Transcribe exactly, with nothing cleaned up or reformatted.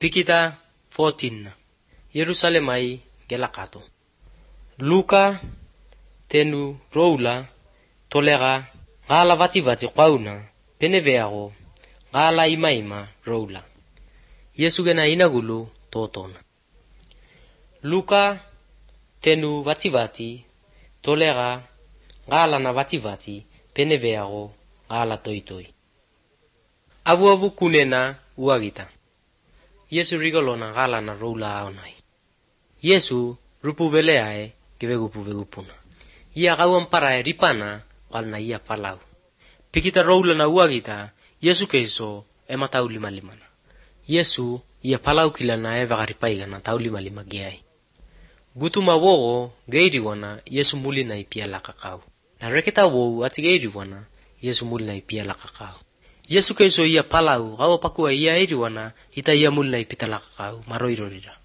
Pikita fourteen Yerusalemai gelakato. Luka tenu roula tolera ngala vati vati kwauna peneveago ngala ima ima roula. Yesu gena inagulu totona. Luka tenu vati vati tolera ngala na vati vati peneveago ngala toi toi. Avu avu kunena uagita. Yesu rigolona ngala na roula aonai. Yesu rupu veleae kivekupu vegupuna. Ia kauan parae ripana walna ia palau. Pikita roula na uagita Yesu keiso ema tau lima limana. Yesu ia palau kilana e vakaripaigana tau lima lima giai. Gutuma wogo geiriwana Yesu mulina ipia lakakau. Na reketa wogu ati geiriwana Yesu mulina ipia lakakau. Yesu keiso ia palau gao pakua ia eiriwana ita ia mulina ipita lakakau maroirorira.